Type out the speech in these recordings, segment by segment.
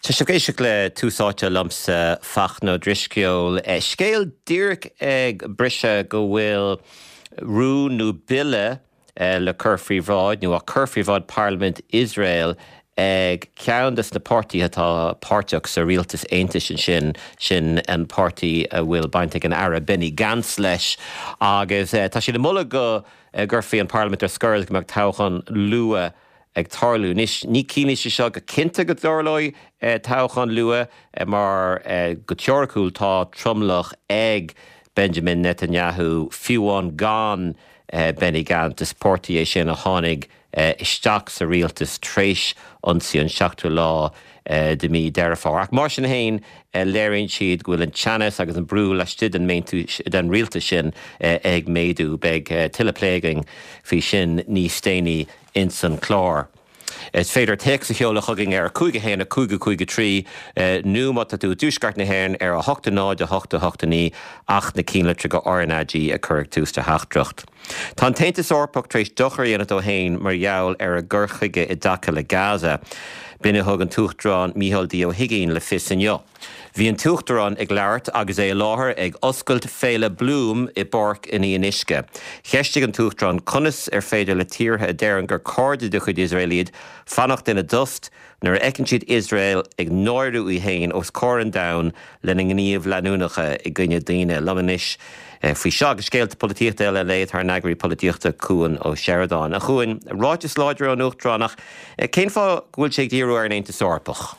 Tá sibh ag éisteacht le Tús Áite liomsa, Fachtna Ó Drisceoil. Scéal díreach ag briseadh go bhfuil rún nó bille le cur faoi bhráid, nó á cur faoi bhráid Parlaimint Iosrael ag ceann des na páirtithe atá páirteach sa rialtas aontais ansin, sin an páirtí a bhfuil baint ag an Aire Benny Gantz leis, agus tá siad ag moladh go gcuirfí an Parlaimint ar scor agus go mbeadh toghchán luath ag tarlú. Anois, ní ciallaíonn sé seo go cinnte go dtarlóidh toghchán luath mar go teoiriciúil tá tromlach ag Benjamin Netanyahu fiú amháin gan Benny Gantz. Is páirtí é sin a tháinig isteach sa rialtas tar éis ionsaí an seachtú lá de mhí Deireadh Fómhair. Ach mar sin féin, léiríonn siad go bhfuil an teannas agus an brú laistigh den den rialtas sin ag méadú. Beidh tuilleadh plé againn faoi sin níos déanaí ins an chlár. Is féidir téacs a sheoladh chugainn ar 5 1 5 5 3 nó má tá tú i dtuaisceart na hÉireann ar 8 0 8 8 9 ach na cinnlitreacha RnaG a chur ag tús do theachtaireacht. Tá an tAontas Eorpach tar éis dochar a dhéanamh dó féin mar gheall ar a gcur chuige i dtaca le Gaza. B'in a thug an tUachtarán Micheál D Ó hUigínn le fios inniu. Bhí an tUachtarán ag labhairt agus é i láthair ag oscailt Féile Bloom i bPáirc an Fhionnuisce. Cheistigh an tUachtarán conas ar féidir le tíortha a deireann gur cairde de chuid Iosrael iad fanacht ina dtost nuair a fheiceann siad Iosrael ag náiriú í féin os comhair an domhain lena ngníomh leanúnacha i gcoinne daoine. Liom anois faoi seo agus scéalta polaitíochta eile a lé tá ár n-eagraí polaitíochta Cuan Ó Seireadáin. A Chuain, ráiteas láidir ón Uachtarán ach cén fáth go bhfuil sé ag díriú ar an Aontas Eorpach?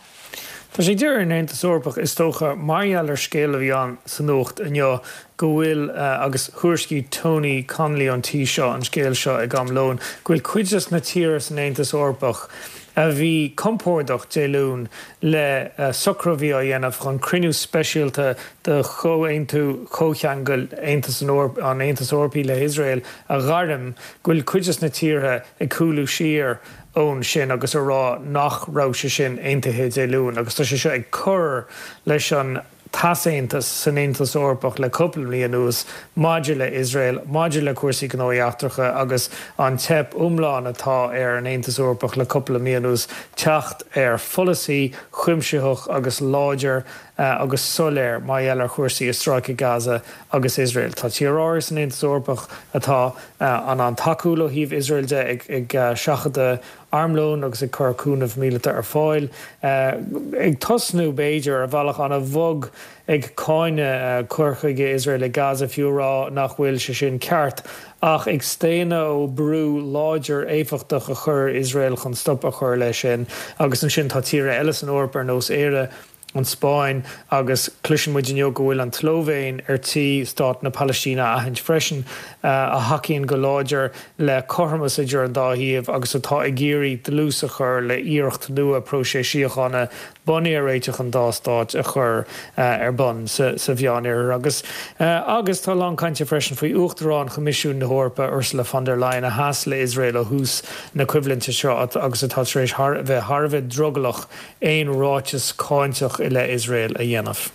Tá sé ag díriú ar an Aontas Eorpach, is dócha, mar gheall ar scéal a bhí ann sa nuacht inniu go bhfuil, agus thuairiscigh Tony Connelly ón tí seo an scéal seo ag am lóin, go bhfuil cuid des na tíortha san Aontas Eorpach a bhí compordach Dé Luain le socrú a bhí á dhéanamh chun cruinniú speisialta de chomhaontú comhcheangail Aontas an Aontais Eorpaigh le hIosrael a ghairm, go bhfuil cuid des na tíortha ag cúlú siar ón sin agus a rá nach raibh sé sin aontaithe Dé Luain agus tá sé seo ag cur leis an t-easaontas san Aontas Eorpach le cúpla mí anuas maidir le Iosrael, maidir le cúrsaí gnóthaí eachtracha agus an teip iomlán atá ar an Aontas Eorpach le cúpla mí anuas teacht ar pholasaí cuimsitheach agus láidir agus soiléir mar gheall ar chúrsaí i Stráice Gaza agus Iosrael. Tá tír áirithe san Aontas Eorpach atá an-an-tacúil ó thaobh Iosrael de, ag seachadadh armlóin agus ag cur cúnamh míleata ar fáil, ag tosnú, b'fhéidir, ar bhealach an-bhog ag cáineadh cur chuige Iosrael i Gaza, fiú a rá nach bhfuil sé sin ceart, ach ag staonadh ó brú láidir éifeachtach a chur ar Iosrael chun stop a chur leis sin. Agus ansin tá tíortha eile san Eoraip ar nós Éire, an Spáinn agus cloiseann muid inniu go bhfuil an tSlóivéin ar tí stát na Palaistíne a aithint freisin, a thacaíonn go láidir le cothromas idir an dá thaobh agus atá ag iarraidh dlús a chur le hiarracht nua próiseas síochána bunaithe ar réiteach an dá stát a chur ar bun sa Mheánoirthear. Agus agus tá a lán cainte freisin faoi Uachtarán Choimisiún na hEorpa, Ursula von der Leyen, a sheas le Iosrael ó thús na coimhlinte seo agus atá tar éis bheith thar a bheith drogallach aon ráiteas cáinteach i leith Iosrael a dhéanamh.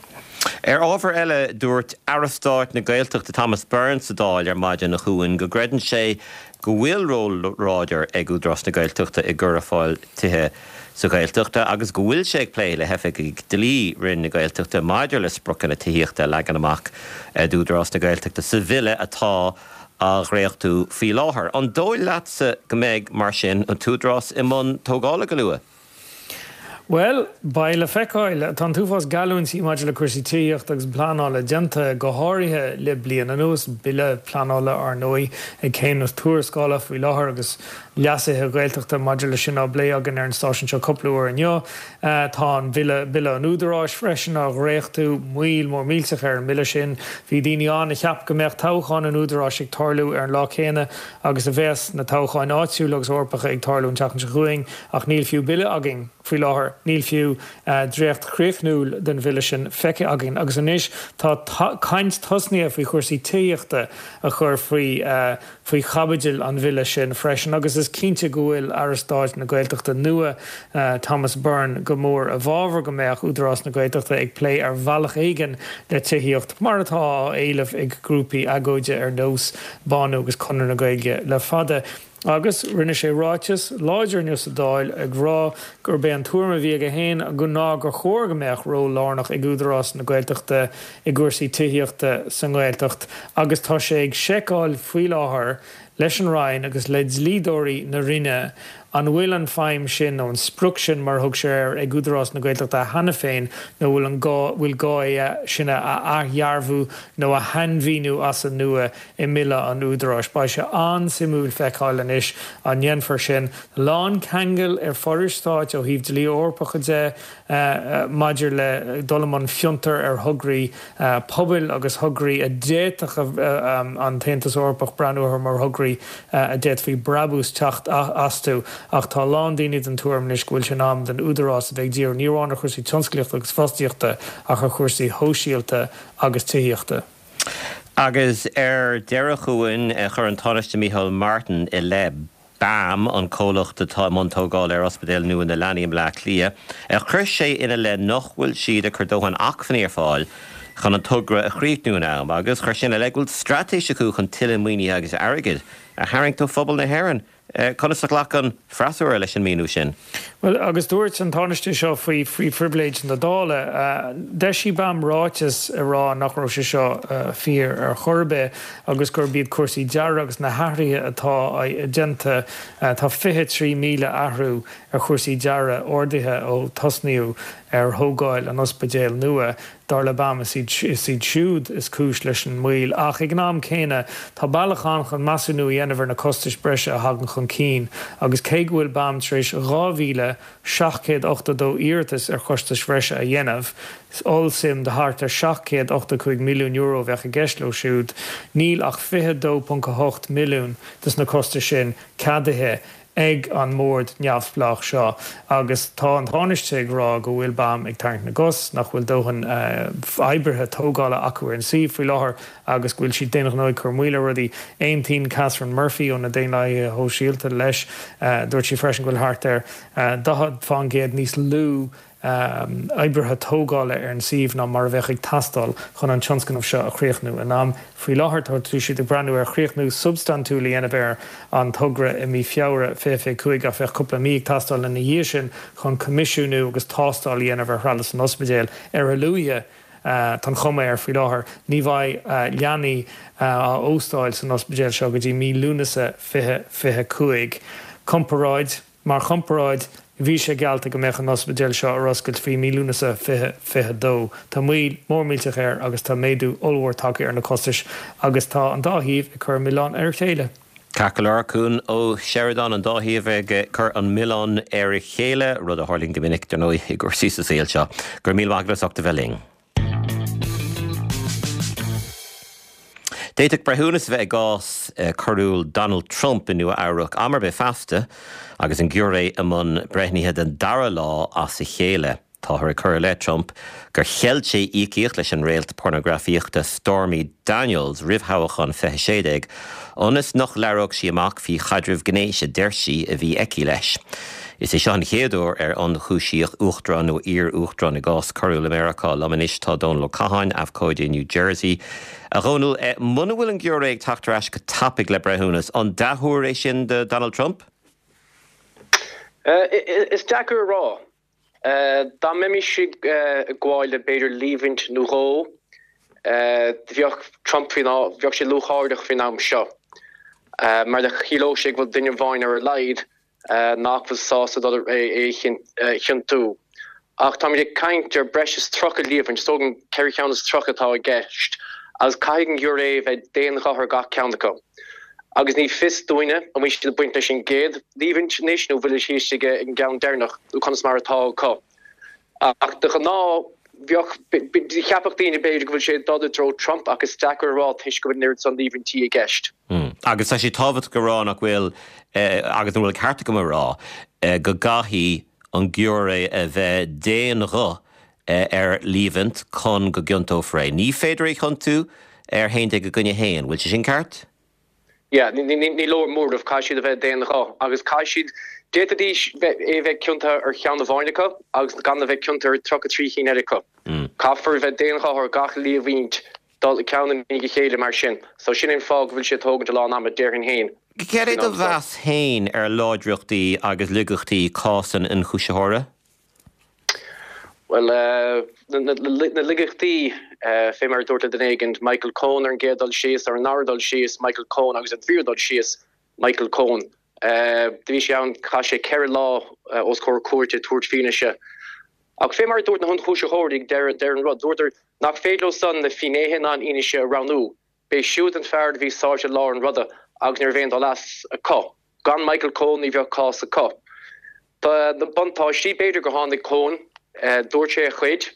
Ar ábhar eile, dúirt Aire Stáit na Gaeltachta Thomas Byrne sa Dáil ar maidin, a Chuain, go gcreideann sé go bhfuil ról láidir ag Údarás na Gaeltachta i gcur ar fáil tithe sa Ghaeltacht agus go bhfuil sé ag plé le hoifigigh dlí Roinn na Gaeltachta maidir le spriocanna tithíochta a leagan amach d'Údarás na Gaeltachta sa bhille atá á dhréachtú faoi láthair. An dóigh leatsa go mbeidh, mar sin, an tÚdarás i mbun tógála go luath? Bhuel, beidh le feiceáil. Tá an t-uafás geallúintí maidir le cúrsaí tithíochta agus pleanála déanta, go háirithe le bliain anuas. Bille pleanála, ar ndóigh, ag céim na tuarascála faoi láthair agus leasuithe Gaeltachta maidir leis sin á bplé againn ar an stáisiún seo cúpla uair inniu. Tá an bhille, Bille an Údaráis, freisin á dhréachtú. Moill mór millteach ar an mbille sin. Bhí daoine ann a cheap go mbeadh toghchán an Údaráis ag tarlú ar an lá céanna agus a bheas na toghcháin áitiúla agus Eorpacha ag tarlú an tseachtain seo chugainn. Ach níl fiú bille againn faoi láthair, níl fiú dréacht chríochnúil den bhille sin feicthe againn. Agus anois tá caint tosnaithe faoi chúrsaí tithíochta a chur faoi faoi chaibidil an bhille sin freisin. Agus is cinnte go bhfuil Aire Stáit na Gaeltachta nua, Thomas Byrne, go mór i bhfabhar go mbeadh Údarás na Gaeltachta ag plé ar bhealach éigin le tithíocht, mar atá á éileamh ag grúpaí agóide ar nós Bánú agus Conradh na Gaeilge le fada. Agus rinne sé ráiteas láidir inniu sa Dáil ag rá gurb é an tuairim a bhí aige féin ná gur chóir go mbeadh ról lárnach ag Údarás na Gaeltachta i gcúrsaí tithíochta sa nGaeltacht agus tá sé ag seiceáil faoi láthair leis an Roinn agus le dlíodóirí na Roinne an bhfuil an feidhm sin nó an sprioc sin mar a thug sé air ag Údarás na Gaeltachta cheana féin nó bhfuil an gá bhfuil gá é sin a athdhearbhú nó a shainmhíniú as an nua i mBille an Údaráis. Beidh sé an-suimiúil feiceáil anois an ndéanfar sin. Lán ceangal ar forais stáit ó thaobh dlí Eorpacha de maidir le dul i mbun fiontar ar thograí pobail agus thograí a d'fhéadfadh an tAontas Eorpach breathnú orthu mar thograí a d'fhéadfaí brabús teacht astu. Ach tá a lán daoine den tuairim anois go bhfuil sé in am don Údarás a bheith ag díriú ní amháin ar chúrsaí tionsclaíochta agus fostaíochta ach ar chúrsaí shóisialta agus tithíochta. Agus ar deireadh chugainn, chuir an Tánaiste Micheál Martin i leith BAM, an comhlacht atá i mbun tógála ar Ospidéal nua na Leanaí i mBleá Cliath, chuir sé ina leith nach bhfuil siad ag cur dóthain acmhainní ar fáil chun an togra a chríochnú in am agus chuir sé ina leith go bhfuil straitéis acu chun tuilleadh maoinithe agus airgid a tharraingt ó phobal na hÉireann. Conas a ghlac an freasúra leis an míniú sin? Bhuel, agus dúirt an Tánaiste seo faoi faoi phribhléid na Dála, d'eisigh BAM ráiteas ag rá nach raibh sé seo fíor ar chor ar bith agus gurb iad cúrsaí dearaidh agus na hathruithe atá déanta, tá 23,000 athrú ar chúrsaí dearaidh ordaithe ó tosnaíodh ar thógáil an ospidéil nua. Dar le BAM, is iad siúd is cúis leis an moill, ach ag an am céanna, tá bealach ann chun measúnú a dhéanamh ar na costais breise a thagann chun cinn, agus cé go bhfuil BAM tar éis 2,782 iarratas ar chostais bhreise a dhéanamh, ollsuim de thart ar €785 milliún a bheadh i gceist leo siúd, níl ach 22.8 milliún de na costais sin ceadaithe ag an mbord neamhspleách seo agus tá an Tánaiste ag rá go bhfuil BAM ag tarraingt na gcos, nach bhfuil dóthain oibrithe tógála acu ar an suíomh faoi láthair agus go bhfuil siad d'aon ghnó ag cur moill ar rudaí. Aontaíonn Catherine Murphy ó na Daonlathaithe Shóisialta leis. Dúirt sí freisin go bhfuil thart ar 40% níos lú oibrithe tógála ar an suíomh ná mar a bheadh ag teastáil chun an tionscnamh seo a chríochnú in am. Faoi láthair tá siad ag breathnú ar chríochnú substaintiúil a dhéanamh ar an togra i mí Feabhra 2025 ach bheadh cúpla mí ag teastáil ina dhiaidh sin chun coimisiúnú agus tástáil a dhéanamh ar threalamh san ospidéal. Ar a luaithe, tá an chuma air faoi láthair, ní bheidh leanaí á óstáil san ospidéal seo go dtí mí Lúnasa 2025. Comparáid. Mar chomparáid, bhí sé geallta go mbeadh an ospidéal seo ar oscailt faoi mí Lúnasa 2022. Tá moill mhór millteach air agus tá méadú ollmhór tagtha ar na costais agus tá an dá thaobh ag cur an milleán ar a chéile. Ceart go leor, Cuan Ó Seireadáin, an dá thaobh ag cur an milleán ar a chéile, rud a tharlaíonn go minic, dar ndóigh, i gcúrsaí sa saol seo. Go raibh míle maith agat as ucht a bheith linn. D'fhéadfadh breithiúnas a bheith i gcás coiriúil Donald Trump i Nua Eabhrac am ar bith feasta agus an giúiré i mbun breithnithe den dara lá as a chéile. Táthar ag cur i leith Trump gur cheilt sé íocaíocht leis an réalt pornagrafaíochta Stormy Daniels roimh thoghchán 2016 ionas nach labhródh sí amach faoi chaidreamh gnéis a deir sí a bhí aici leis. Is é seo an chéad uair ar ionchúisíodh uachtarán nó iar-uachtarán i gcás coiriúil i Meiriceá. Liom anois tá Dónal Ó Catháin, abhcóide i New Jersey. A Dhónaill, muna bhfuil an giúiré ag teacht ar ais go tapaidh le breithiúnas, an dea-thuar é sin do Donald Trump? Is deacair a rá. Dá mbeimis ag gabháil le b'fhéidir líomhaint nó dhó, bheadh Trump faoin, bheadh sé lúcháireach faoin am seo, mar chiallódh sé go bhfuil duine amháin ar a laghad nach bhfuil sásta dul é a chiontú. Ach táimid ag caint ar breis is 30 líomhaint, is dóigh liom ceithre cheann is 30 atá i gceist, agus caithfidh an giúiré a bheith d'aon ghuth ar gach ceann acu. Agus ní fios dúinne an bhfuil siad ag baint leis an gcéad líomhaint anois nó bhfuil siad istigh ag an gceann deireanach nó conas mar atá acu. Ach de ghnáth, bheadh, cheapfadh daoine b'fhéidir go bhfuil sé ag dul i dtreo Trump ach is deacair a rá toisc go bhfuil an oiread san líomhaintí i gceist. Agus tá sé tábhachtach a rá nach bhfuil, agus an bhfuil an ceart agam a rá, go gcaithfidh an giúiré a bheith d'aon ghuth ar líomhaint chun go gciontófar é. Ní féidir é a chiontú ar 11 i gcoinne 1. Bhfuil sé sin ceart? Yeah, ní leor móramh, caithfidh siad a bheith d'aon ghuth agus caithfidh siad, d'fhéadfaidís é a bheith ciontaithe ar cheann amháin acu agus gan a bheith ciontaithe ar 33 chinn eile acu. Caithfear a bheith d'aon ghuth ar gach líomhaint dul ceann i ndiaidh a chéile mar sin. So sin é an fáth go bhfuil sé ag tógaint a lán ama, déarfainn féin. Céard é do mheas féin ar láidreachtaí agus laigeachtaí cás an ionchúisitheora? Bhuel, na laigeachtaí, fé mar a dúirt le duine éigin, Michael Cohen ar an gcéad dul síos, ar an ndara dul síos, Michael Cohen agus ar an tríú dul síos, Michael Cohen. Do bhí sé ann, chaith sé 4 lá os comhair cúirte ag tabhairt fianaise. Ach fé mar a dúirt na hionchúisitheoirí ag deireadh an rud, dúradar nach féidir leo san na finnéithe ná an fhianaise a roghnú. B'é siúd an fear do bhí sáite i lár an ruda agus ní raibh aon dul as acu. Gan Michael Cohen ní bheadh cás acu. Na buntáistí, b'fhéidir gur tháinig Cohen, dúirt sé a chuid,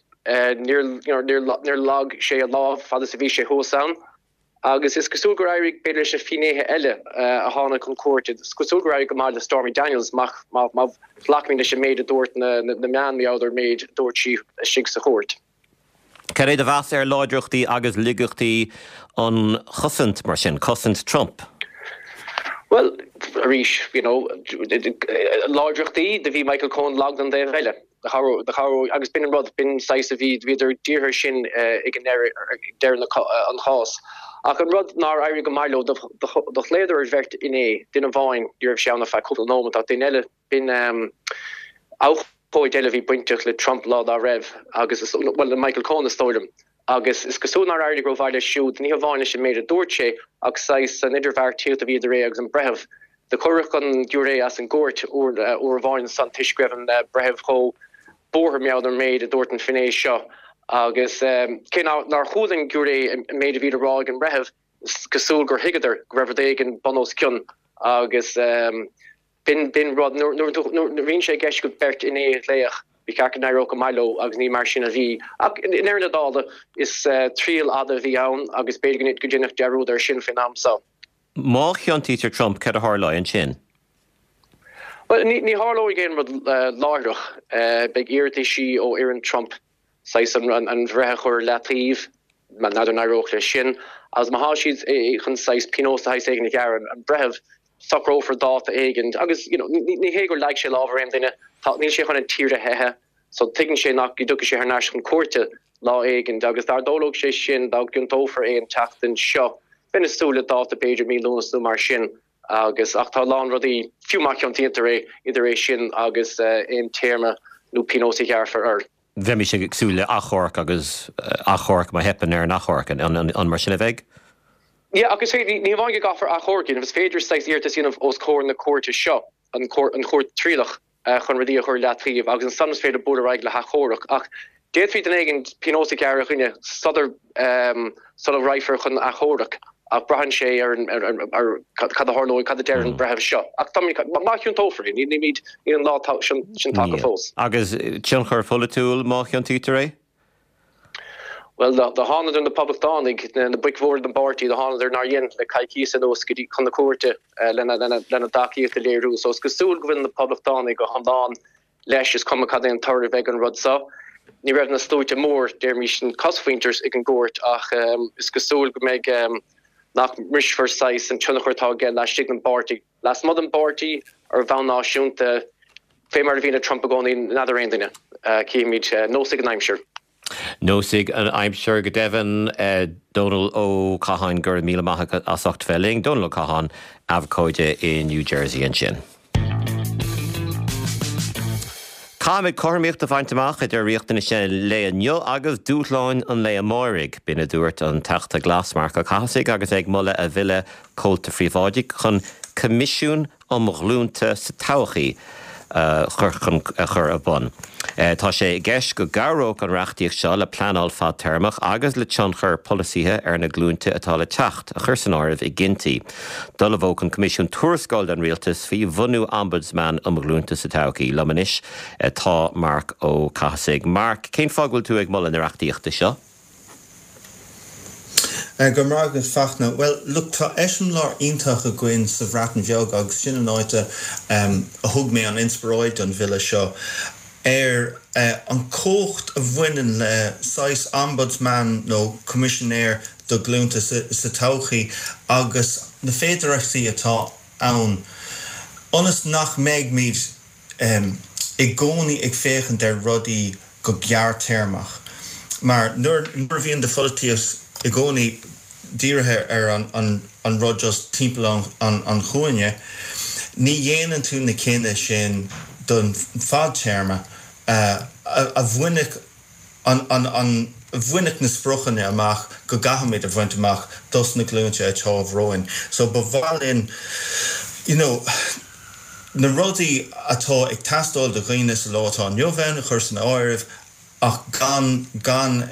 níor lag sé a lámh fad is a bhí sé thuas ann. Agus is cosúil gur éirigh b'fhéidir leis na finnéithe eile a tháinig chun cúirte, is cosúil gur éirigh go maith le Stormy Daniels má ghlacaimid leis an méid a dúirt na meáin, mar gheall ar an méid a dúirt sí istigh sa chúirt. Cad é do mheas ar láidreachtaí agus laigeachtaí an chosaint, mar sin, cosaint Trump? Bhuel, arís, you know, láidreachtaí, do bhí Michael Cohen lag don dtaobh eile. Do chabhródh, agus b'in an rud, b'in saghas a bhí, bhíodar dírithe sin ag an ndeireadh, deireadh an chás. Ach an rud nár éirigh go maith leo, do ghlaodar ar bheirt fhinné, duine amháin, ní raibh sé ann ach feadh cúpla nóiméad, ach duine eile, B'in abhcóide eile a bhí bainteach le Trump lá dá raibh agus, bhuel, le Michael Cohen is dóigh liom. Agus is cosúil nár éirigh rómhaith leis siúd, ní hamháin leis an méid a dúirt sé ach saghas an idirbheartaíocht a bhí idir é agus an breitheamh. Do cuireadh an giúiré as an gcúirt uair amháin ansan toisc go raibh an breitheamh chomh buartha mar gheall ar an méid a dúirt an finné seo. Agus cé nár chuala an giúiré an méid a bhí le rá ag an mbreitheamh, is cosúil gur thuigeadar go raibh rud éigin bun os cionn agus. B'in, b'in rud, nuair, nuair, nuair a bhíonn sé i gceist agat beirt fhinné a ghlaoch, ba cheart go n-éireodh go maith leo agus ní mar sin a bhí. Ach i ndeireadh na dála, is triail fhada a bhí ann agus b'fhéidir go ndéanfar dearúd air sin faoin am so. Má chiontaítear Trump, céard a tharlóidh ansin? Bhuel, ní, ní tharlóidh aon rud láithreach. Beidh iarrataisí ó fhoireann Trump saghas an bhreith a chur ar leataobh, n'fheadar an éireodh leis sin, agus má thá siad chun saghas pionós de shaghas éigin a ghearradh ar an bhreitheamh, socrófar dáta éigin agus you know ní hé gur leag sé lámh ar aon duine, tá, níl sé chun an tír a theitheadh, so tuigeann sé nach go dtiocfaidh sé thar n-ais chun cúirte lá éigin agus dá dtarlódh sé sin, dá gciontófar é an tseachtain seo, bheinn ag súil le dáta b'fhéidir mí Lúnasa nó mar sin agus, ach tá a lán rudaí, fiú má chiontaítear é, idir é sin agus aon téarma nó pionós a ghearrfar air. Bheimis ag súil le achomharc agus achomharc má theipeann ar an achomharc. An mar sin a bheidh? Yeah, agus ní hamháin go gcaithfear achomharc a dhéanamh, is féidir saghas iarratas a dhéanamh os comhair na cúirte seo, an chúirt trialach, chun rudaí a chur i leataobh agus ansan is féidir bualadh ar aghaidh le hachomharc. Ach d'fhéadfaí duine éigin pionós a ghearradh ar dhuine sular sula raghfar chun achomhairc ach braitheann sé ar ar cad a tharlóidh, cad a deir an breitheamh seo. Ach má chiontófar é, nílimid, níl an lá sin tagtha fós. Agus tionchar pholaitiúil má chiontaítear é? Bhuel, do thánadar na Poblachtánaigh, na boic mhóra den bpáirtí, do thánadar nár dhein le coicíos anuas go dtí chun na cúirte lena dtacaíocht a léiriú. So is cosúil go bhfuil na Poblachtánaigh go hiomlán leis, is cuma cad é an toradh a bheidh an rud so. Ní raibh na sluaite mór, déarfaimis, an cosmhuintir ag an gcúirt ach is cosúil go mbeidh, nach mbrisfear saghas an tionchar atá aige laistigh den bpáirtí. Lasmuigh den bpáirtí, ar bhonn náisiúnta, fé mar a bhíonn le Trump i gcónaí, n'fheadar aon duine. Cífimid. Neosfaidh an aimsir. Neosfaidh an aimsir go deimhin. Dónal Ó Catháin, go raibh míle maith agat as ucht bheith linn. Dónal Ó Catháin, abhcóide i New Jersey ansin. Caithfimid cothromaíocht a bhaint amach idir riachtanais an lae inniu agus dúshláin an lae amáirigh. B'in a dúirt an Teachta Glas Marc Ó Cathasaigh agus é ag moladh a bhille Comhalta Phríobháidigh chun Coimisiún um Ghlúnta sa Todhchaí a chur ar bun. Tá sé i gceist go gcabhródh an reachtaíocht seo le pleanáil fadtéarmach agus le tionchar polasaithe ar na glúinte atá le teacht a chur san áireamh i gcinntí. D'ullmhódh an Coimisiún tuarascáil don Rialtas faoi bhunú Ombudsman um Ghlúnta sa Todhchaí. Liom anois tá Marc Ó Cathasaigh. Marc, cén fáth go bhfuil tú ag moladh na reachtaíochta seo? Go raibh maith agat Fachtna. Bhuel, look, tá eiseamláir iontach againn sa Bhreatain Bheag agus sin an áit a thug mé an inspioráid don bhille seo, ar an chumhacht a bhaineann le saghas ombudsman nó coimisinéir do ghlúnta sa todhchaí agus na féidearthachtaí atá ann ionas nach mbeimid i gcónaí ag féachaint ar rudaí go gearrthéarmach. Mar nuair a bhíonn do pholaitíocht i gcónaí. dírithe ar an rud just timpeall an chúinne, ní dhéanann tú na cinntí sin don fadtéarma a bhainfeadh an a bhainfeadh na spriocanna amach go gcaithfimid a bhaint amach dos na glúinte atá romhainn. So ba mhaith linn you know na rudaí atá ag teastáil do dhaoine sa lá atá inniu ann a chur san áireamh ach gan gan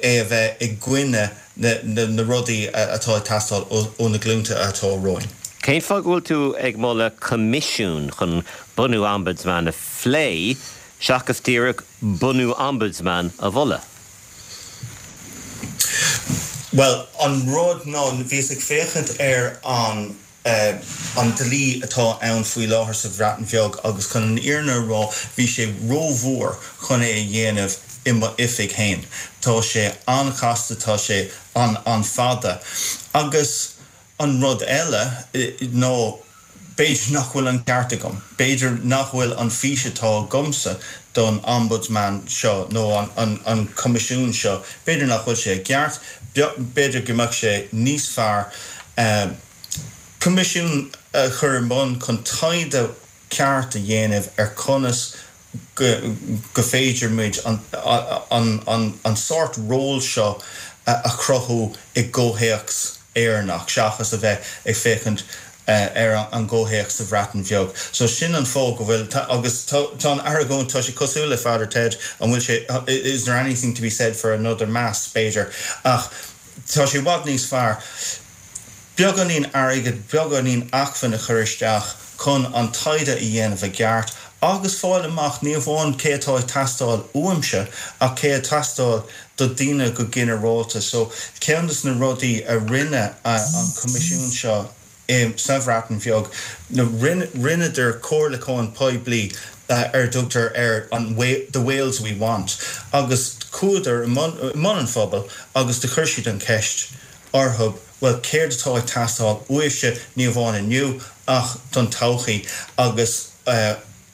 é a bheith i gcoinne na na rudaí atá ag teastáil ó na glúnta atá romhainn. Cén fáth go bhfuil tú ag moladh coimisiún chun bunú Ombudsman a phlé seachas díreach bunú Ombudsman a mholadh? Bhuel, an rud ná, bhíos ag féachaint ar an an dlí atá ann faoi láthair sa Bhreatain Bheag agus chun an fhírinne a rá bhí sé rómhór chun é a dhéanamh i m'oifig féin. Tá sé an-chasta, tá sé an-fhada. Agus an rud eile ná b'fhéidir nach bhfuil an ceart agam, b'fhéidir nach bhfuil an fís atá agamsa don Ombudsman seo nó an coimisiún seo, b'fhéidir nach bhfuil sé i gceart, b'fhéidir go mbeadh sé níos fearr. Coimisiún a chur i mbun chun taighde ceart a dhéanamh ar conas go féidir muid an sórt ról seo a chruthú i gcomhthéacs Éireannach seachas a bheith ag féachaint ar an gcomhthéacs sa Bhreatain Bheag. So sin an fáth go bhfuil, agus tá an argóint, tá sé cosúil le Father Ted, an bhfuil sé, is there anything to be said for another mass, b'fhéidir, ach tá sé i bhfad níos fearr. beagáinín airgid, beagáinín acmhainn a chur isteach chun an taighde a dhéanamh i gceart agus fáil amach ní amháin cé atá ag teastáil uaimse ach cé ag teastáil do daoine go ginearálta. So ceann des na rudaí a rinne an coimisiún seo i sa Bhreatain Bheag, rinneadar comhairliúchán poiblí ar a dtugtar ar an The Wales We Want agus chuadar i mbun an phobail agus do chuir siad an cheist orthu, bhuel, céard atá ag teastáil uaibhse, ní amháin inniu, ach don todhchaí, agus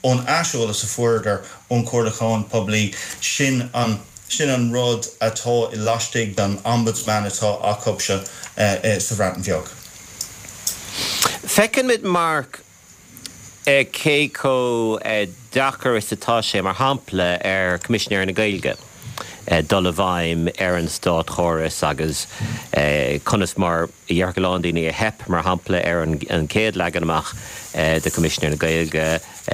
ón aiseolas a fuaireadar ón chomhairliúchán poiblí, sin an, sin an rud atá i laistigh den Ombudsman atá acubhsa sa Bhreatain Bheag. Feiceann muid, Mark, cé chomh deacair is atá sé, mar shampla, ar Choimisinéir na Gaeilge dul i bhfeidhm ar an státchóras agus conas mar a déarfadh a lán daoine a theip, mar shampla, ar an chéad leagan amach de Choimisinéir na Gaeilge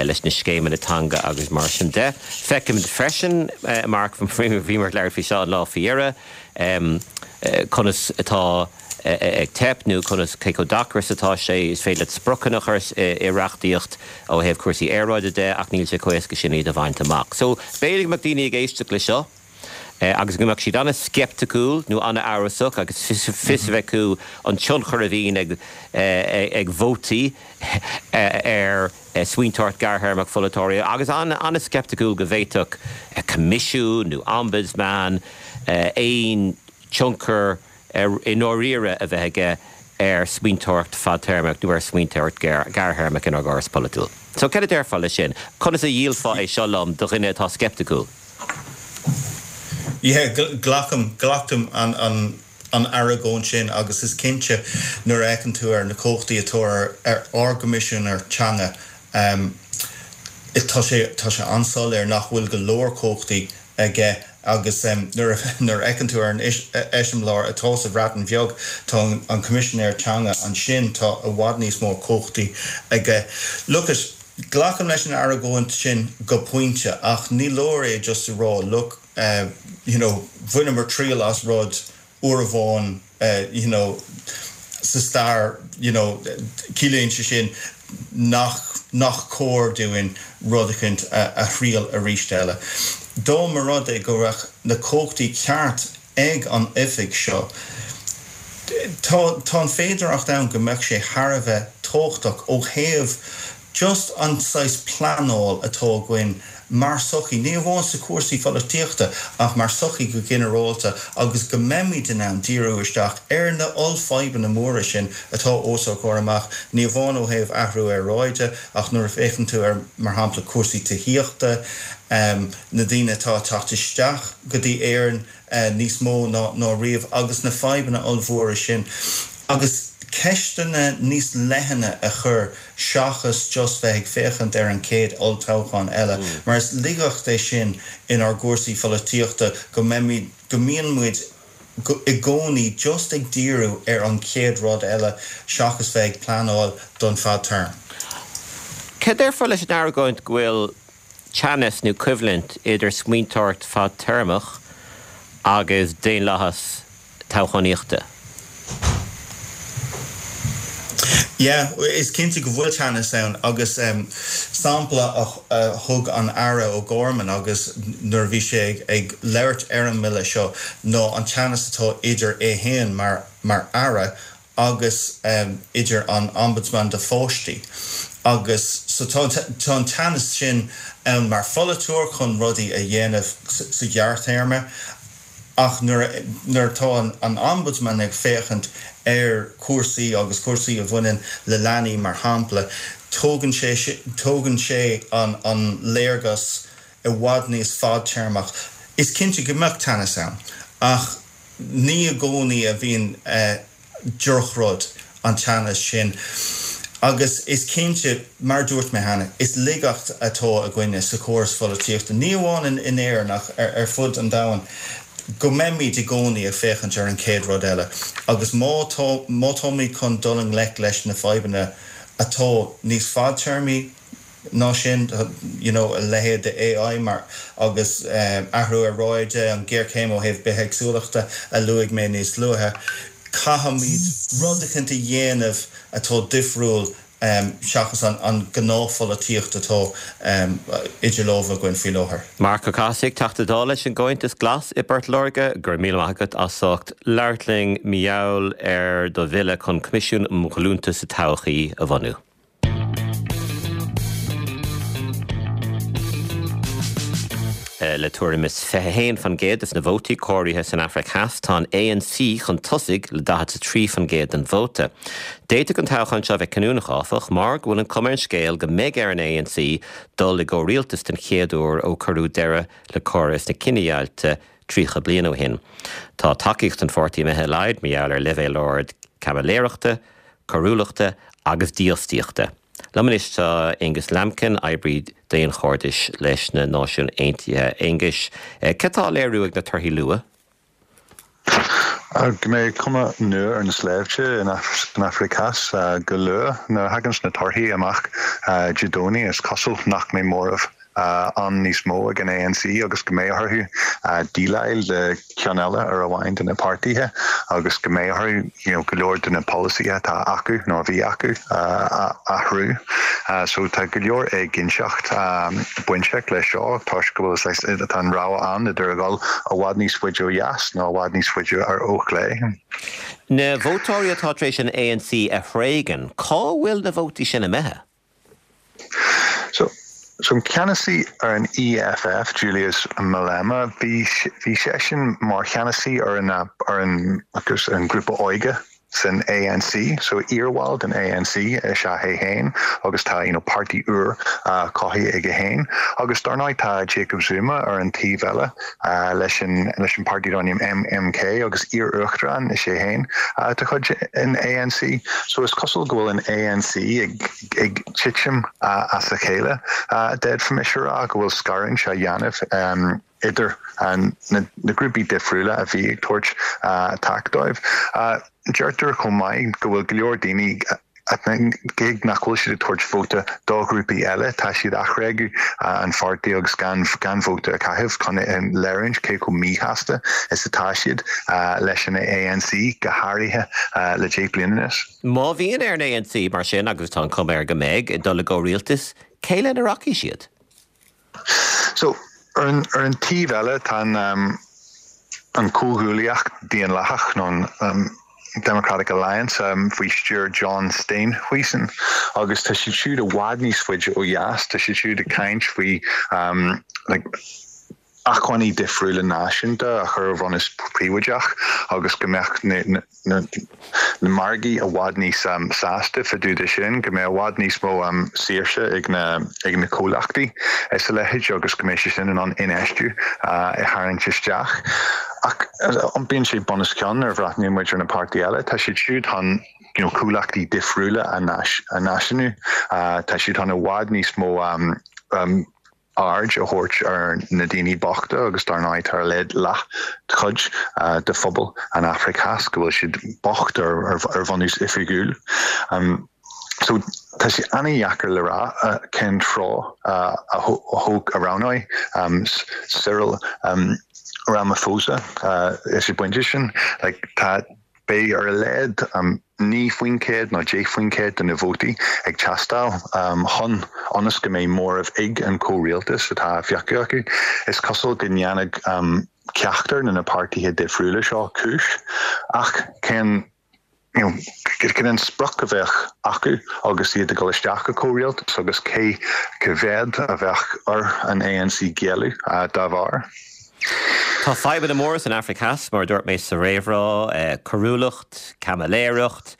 leis na scéimeanna teanga agus mar sin de. Feicimid freisin, Mark, bhíomar ag labhairt faoi seo an lá faoi dheireadh, conas atá. ag teip nó conas, cé chomh deacair is atá sé. Is féidir leat spriocanna a chur i reachtaíocht ó thaobh cúrsaí aeráide de ach níl sé chomh éasca sin iad a bhaint amach. So, b'fhéidir go mbeadh daoine ag éisteacht le seo agus go mbeadh siad an-sceipticiúil nó an-amhrasach agus fios a bheith acu an tionchar a bhíonn ag ag vótaí ar smaointeoireacht ghearrthéarmach pholaiteoirí agus an-sceipticiúil go bhféadfadh coimisiún nó ombudsman aon tionchar i ndáiríre a bheith aige ar smaointeoireacht fadtéarmach nó ar smaointeoireacht ghearrthéarmach inár gcóras polaitiúil. So, cad a déarfá leis sin? Conas a dhíolfá é seo liom do dhuine atá sceipticiúil? Yeah, glacaim, glacaim an, an, an argóint sin agus is cinnte nuair a fheiceann tú ar na cumhachtaí atá ar, ar ár gCoimisinéir Teanga, tá sé, tá sé an-soiléir nach bhfuil go leor cumhachtaí aige agus nuair a fheiceann tú ar an eiseamláir atá sa Bhreatain Bheag, tá an Coimisinéir Teanga ansin, tá i bhfad níos mó cumhachtaí aige. Look it, glacaim leis an argóint sin go pointe ach ní leor é just a rá look, you know, bhaineamar triail as rud uair amháin you know sa stair you know ciallaíonn sé sin nach nach cóir dúinn rud eicínt a a thriail arís eile. Dá mba rud é go raibh na cumhachtaí ceart ag an oifig seo tá tá an féidearthacht ann go mbeadh sé thar a bheith tábhachtach ó thaobh just an saghas pleanáil atá againn. mar sochaí, ní amháin sa cúrsaí pholaitíochta ach mar sochaí go ginearálta agus go mbeimid in ann díriú isteach ar na ollfhadhbanna móra sin atá os ár gcomhair amach, ní amháin ó thaobh athrú aeráide ach nuair a féachann tú ar, mar shampla, cúrsaí tithíochta, na daoine atá ag teacht isteach go dtí Éirinn níos mó ná riamh agus na fadhbanna ollmhóra sin agus ceisteanna níos leithne a chur seachas just bheith ag féachaint ar an chéad olltoghchán eile mar is laigeacht é sin inár gcúrsaí pholaitíochta go mbeimid, go mbíonn muid i gcónaí just ag díriú ar an chéad rud eile seachas bheith ag pleanáil don fadtéarma. Cad déarfá leis an argóint go bhfuil teannas nó coimhlint idir smaointeoireacht fadtéarmach agus daonlathas toghchánaíochta. Yeah, is cinnte go bhfuil teannas ann agus sampla a thug an Aire O'Gorman agus nuair a bhí sé ag labhairt ar an mbille seo ná an teannas atá idir é féin mar mar Aire agus idir an Ombudsman do pháistí agus so tá tá an teannas sin ann mar pholaiteoir chun rudaí a dhéanamh sa ghearrthéarma ach nuair a nuair atá an an Ombudsman ag féachaint ar chúrsaí agus cúrsaí a bhaineann le leanaí mar shampla tógann sé tógann sé an an léargas i bhfad níos fadtéarmach. Is cinnte go mbeadh teannas ann ach Ní i gcónaí a bhíonn drochrud an teannas sin agus is cinnte, mar a dúirt mé cheana, is laigeacht atá againne sa chóras pholaitíochta, ní amháin in Éirinn ach ar fud an domhain, go mbeimid i gcónaí ag féachaint ar an chéad rud eile agus má tá, má táimid chun dul i ngleic leis na fadhbanna atá níos fadtéarmaí, ná sin, you know, a leithéid de AI mar agus athrú aeráide, an ghéarchéim ó thaobh bithéagsúlachta a luaigh mé níos luaithe, caithfimid rud eicínt a dhéanamh atá difriúil seachas an gnáthpholaitíocht atá idir lámha againn faoi láthair. Marc Ó Cathasaigh, Teachta Dála leis an gComhaontas Glas i bPort Láirge, go raibh míle maith agat as ucht labhairt linn mar gheall ar do bhille chun Coimisiún um Ghlúnta sa Todhchaí a bhunú. Le tuairim is 21% des na vótaí comhairthe san Afraic Theas, tá an ANC chun tosaigh le 43% den vóta. D'fhéadfadh an toghchán seo a bheith cinniúnach, áfach, mar go bhfuil an chuma ar an scéal go mbeidh ar an ANC dul i gcomhrialtas den chéad uair ó cuireadh deireadh le córas na cinedheighilte 30 bliain ó shin. Tá tacaíocht an pháirtí imithe i laghad mar gheall ar leibhéal ard caimiléireachta, coiriúlachta agus dífhostaíochta. Liom anois tá Aonghus Lambkin, oibrí daonchairdis leis na Náisiúin Aontaithe. Aonghus, cad tá á léiriú ag na torthaí luath? Go mbeidh cuma nua ar na sléibhte san Afraic Theas go luath. Nuair a thaganns na torthaí amach Dé Domhnaigh is cosúil nach mbeidh móramh ann níos mó ag an ANC agus go mbeidh orthu déileáil le ceann eile ar amháin de na páirtithe agus go mbeidh orthu you know go leor de na polasaithe atá acu nó a bhí acu a athrú. So tá go leor éiginnteacht bainteach leis seo toisc go bhfuil tá an rogha ann idir a dhul i bhfad níos faide ó dheas nó i bhfad níos faide ó chlé. Na vótóirí atá tar éis an ANC a thréigean, cá bhfuil na vótaí sin imithe? So, so an ceannasaí ar an EFF, Julius Malema, bhí, bhí seisean mar cheannasaí ar an, ar an, agus an grúpa óige san ANC, so iarbhall den ANC is ea é féin agus tá, you know, páirtí úr cothaithe aige féin. Agus dar ndóigh tá Jacob Zuma ar an taobh eile leis an, leis an páirtí darb ainm MK agus iar-uachtarán is ea é féin de chuid an ANC. So is cosúil go bhfuil an ANC ag, ag titim as a chéile, d'fhéadfaimis a rá go bhfuil scarúint á dhéanamh idir na grúpaí difriúla a bhí ag tabhairt taca dóibh. Deirtear chomh maith go bhfuil go leor daoine, cé nach bhfuil siad ag tabhairt vóta do ghrúpaí eile, tá siad á thréigeadh an pháirtí agus gan vóta a chaitheamh chun léiriúint cé chomh míshásta is atá siad leis an ANC, go háirithe le 10 bliana anuas. Má bhíonn ar an ANC, mar sin, agus tá an chuma air go mbeidh, dul i gcomhrialtas, cé lena rachaidh siad? So, ar an, ar an taobh eile, tá an, an Comhghuaillíocht Daonlathach, nó an. Democratic Alliance faoi stiúir John Steenhuisen agus tá siad siúd i bhfad níos faide ó dheas, tá siad siúd ag caint faoi like acmhainní difriúla náisiúnta a chur ar bhunús príobháideach agus go mbeadh na na margaí i bhfad níos sásta fá dtaobh de sin, go mbeadh i bhfad níos mó saoirse ag na ag na comhlachtaí is a leithéid agus go mbeidh sé sin in ann infheistiú a tharraingt isteach. Ach iompaíonn sé bun os cionn nuair a bhreathnaíonn muid ar na páirtithe eile, tá siad siúd chun you know comhlachtaí difriúla a náisiúnú, tá siad chun i bhfad níos mó aird a thabhairt ar na daoine bochta agus dar ndóigh tá ar a laghad leathchuid de phobal an Afraic Theas go bhfuil siad bocht ar bhunús oifigiúil. So tá sé an-dheacair le rá cén treo a thóg a roghnóidh Cyril Ramaphosa ag an bpointe sin. Like tá Beidh ar a laghad 9% nó 10% de na vótaí ag teastáil chun ionas go mbeidh móramh ag an chomhrialtas atá á phiocadh acu. Is cosúil go ndéanfadh ceachtar de na páirtithe difriúla seo cúis ach cén you know cén an sprioc a bheadh acu agus iad ag dul isteach i comhrialtas agus cé cá mhéad a bheadh ar an ANC géilleadh dá bharr? Tá fadhbanna móra san Afraic Theas, mar a dúirt mé sa réamhrá, coiriúlacht, caimiléireacht,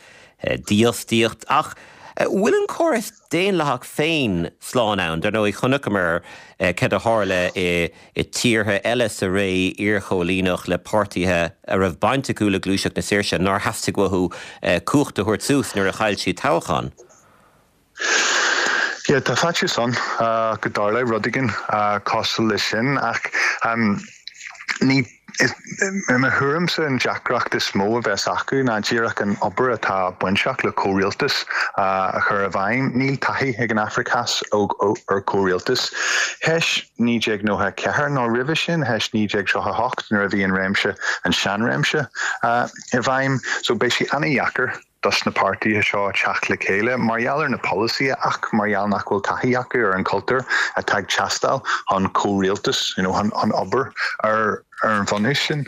dífhostaíocht, ach bhfuil an córas daonlathach féin slán ann? Dar ndóigh, chonaiceamar céard a tharla i tíortha eile sa ré iarchóilíneach le páirtithe a raibh baint acu le gluaiseacht na saoirse nár theastaigh uathu cumhacht a thabhairt suas nuair a chaill siad toghchán. Yeah, tá faitíos ann go dtarlóidh rud éigin cosúil leis sin ach ní, i mo thuairimse an deacracht is mó a bheas acu ná díreach an obair atá bainteach le comhrialtas a chur i bhfeidhm. Níl taithí ag an Afraic Theas ar chomhrialtas. Théis 1994 nó roimhe sin, théis 1938 nuair a bhí an réimse, an seanréimse i bhfeidhm, so beidh sé ana-dheacair dos na páirtithe seo teacht le chéile mar gheall ar na polasaithe ach mar gheall nach bhfuil taithí acu ar an chultúr atá ag teastáil chun comhrialtas, you know, chun obair ar ar an bhunús sin.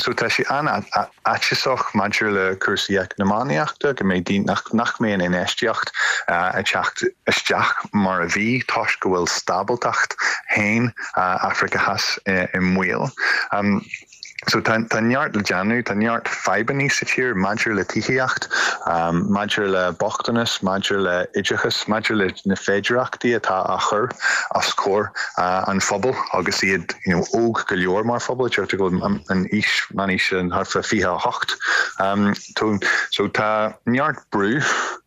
So tá sé an-fhaitíosach maidir le cúrsaí eacnamaíochta, go mbeidh daoine, nach nach mbeidh an infheistíocht ag teacht isteach mar a bhí toisc go bhfuil stábaltacht féin Afraice Theas i mbaol. So tá tá neart le déanamh, tá neart fadhbannaí sa tír maidir le tithíocht, maidir le bochtanas, maidir le oideachas, maidir le na féidireachtaí atá á chur os comhair an phobail agus iad you know óg go leor mar phobal, deirtear go bhfuil an aois, meánaois thart fá 28. So tá neart brú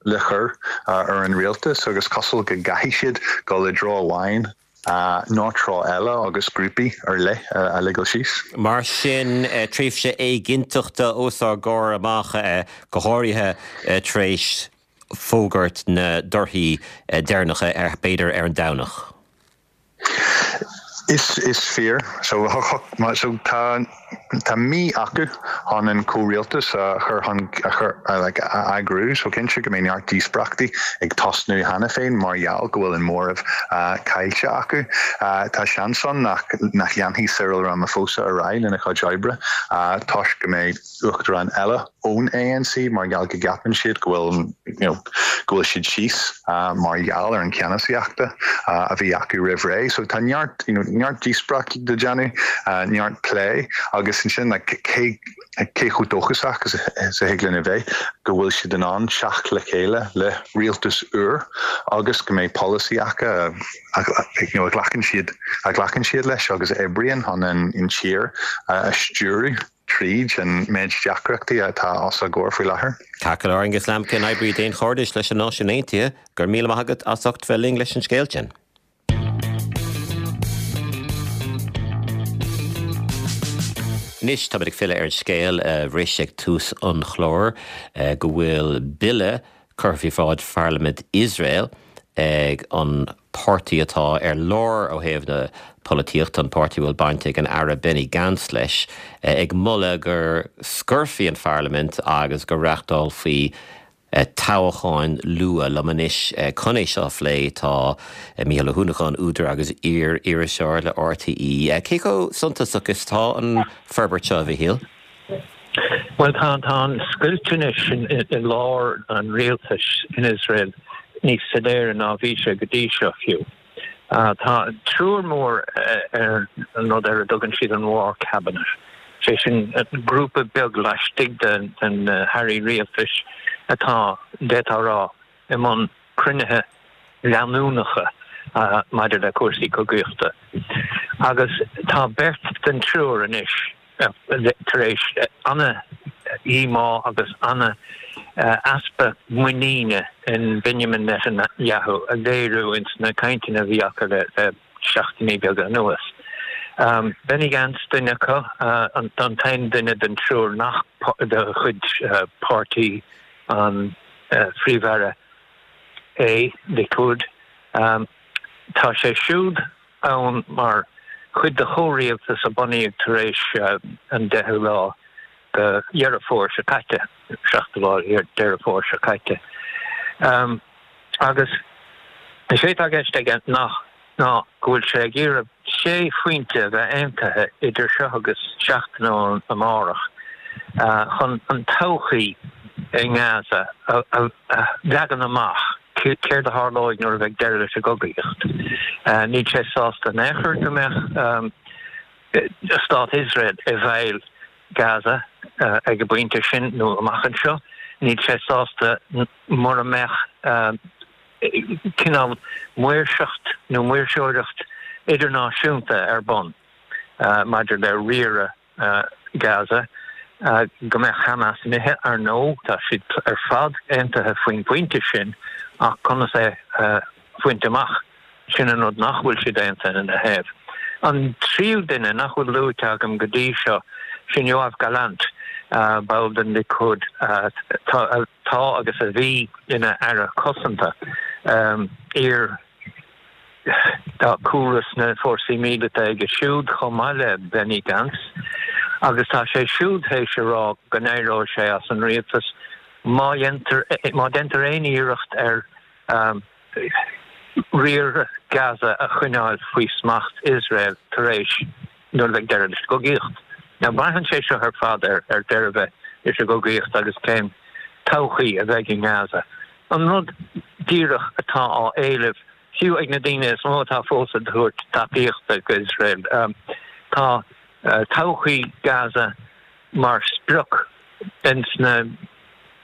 le cur ar an rialtas agus cosúil go gcaithfidh siad dul i dtreo amháin. nó treo eile agus grúpaí ar leith a ligean síos. Mar sin, tréimhse éiginnteachta os ár gcomhair amach, go háirithe tar éis fógairt na dtorthaí deireanacha, b'fhéidir ar an Domhnach. Is fíor. So tá. Tá mí acu chun an comhrialtas a chur chun a chur like a eagrú so cinnte go mbeidh neart díospóireachtaí ag tosnú cheana féin mar gheall go bhfuil an móramh caillte acu. Tá seans ann nach nach leanfaidh Cyril Ramaphosa ar aghaidh lena chuid oibre toisc go mbeidh uachtarán eile ón ANC mar gheall go gceapann siad go bhfuil you know go bhfuil siad síos mar gheall ar an cheannasaíochta a bhí acu roimh ré. So tá neart you know neart díospóireacht le déanamh, neart plé agus ansin like cé cé chomh dóchasach is a thig linn a bheith go bhfuil siad in ann teacht le chéile le rialtas úr agus go mbeidh polasaí acu a you know a ghlacann siad a ghlacann siad leis agus a oibríonn chun an an tír a stiúradh. tríd an méid deacrachtaí atá os ár gcomhair faoi láthair. Ceart go leor, Aengus Lambkin, oibrí daonchairdis leis na Náisiúin Aontaithe, go raibh míle maith agat as ucht bheith linn leis an scéal sin. Anois, táimid ag filleadh ar an scéal a bhris ag tús an chláir, go bhfuil bille curtha faoi bhráid pharlaimint Iosrael ag an páirtí atá ar lár ó thaobh na polaitíochta, an páirtí a bhfuil baint ag an Aire Benny Gantz leis, ag moladh go scoirfí an pharlaimint agus go reáchtálfaí toghcháin luath. Liom anois chun é seo a phlé tá Mícheál Ó hUanacháin, údar agus iar-iriseoir le RTÉ. Cé chomh suntasach is atá an forbairt seo, a Mhichíl? Bhuel, tá an scoilt anois i lár an rialtais in Iosrael níos soiléire ná bhí sé go dtí seo fiú. Tá triúr mór ar an rud ar a dtugann siad an War Cabinet, sé sin grúpa beag laistigh de na hairí rialtais atá, d'fhéadfá a rá, i mbun cruinnithe leanúnacha maidir le cúrsaí cogaíochta. Agus tá beirt den triúr anois tar éis ana-dhíomá agus ana-easpa muiníne in Benjamin Netanyahu a léiriú ins na cainteanna a bhí acu le seachtainí beaga anuas. Benny Gantz duine acu, an t-aon duine den triúr nach de chuid páirtí an Phríomh-Aire é, Likud. Tá sé siúd ann mar chuid de chomhrialtas a bunaíodh tar éis an 10ú lá de Dheireadh Fómhair seo caite, 7ú lá Deireadh Fómhair seo caite. Agus is é atá i gceist aige ná go bhfuil sé ag iarraidh sé phointe a bheith aontaithe idir seo agus seachtain ó amárach chun an todhchaí i nGaza a leagan amach. Céard a tharlóidh nuair a bheidh deireadh leis an gcogaíocht? Níl sé sásta in aon chor go mbeadh stát Iosrael i bhfeighil Gaza ag an bpointe sin nó amach anseo. Níl sé sásta mura mbeadh cineál maoirseacht nó maoirseoireacht idirnáisiúnta ar bun maidir le riaradh Gaza, go mbeadh Hamas imithe, ar ndóigh, tá siad ar fad aontaithe faoin bpointe sin, ach conas é a bhaint amach, sin an rud nach bhfuil siad aontaithe ina thaobh. An tríú duine nach bhfuil luaite agam go dtí seo, sin Yoav Gallant, ball den Likud, atá agus a bhí ina Aire Cosanta, iar. Tá cúlra sna fórsaí míleata aige siúd chomh maith le Benny Gantz agus tá sé siúd théis a rá go n-éireoidh sé as an rialtas má dhéantar má deintear aon iarracht ar riar Gaza a choinneáil faoi smacht Iosrael tar éis nuair a bheidh deireadh leis an gcogaíocht. Now braitheann sé seo ar fad ar deireadh a bheith leis an gcogaíocht agus cén todhchaí a bheidh i nGaza. An rud díreach atá á éileamh, fiú ag na daoine is mó atá fós ag tabhairt tacaíochta go Iosrael, tá todhchaí Gaza mar sprioc ins na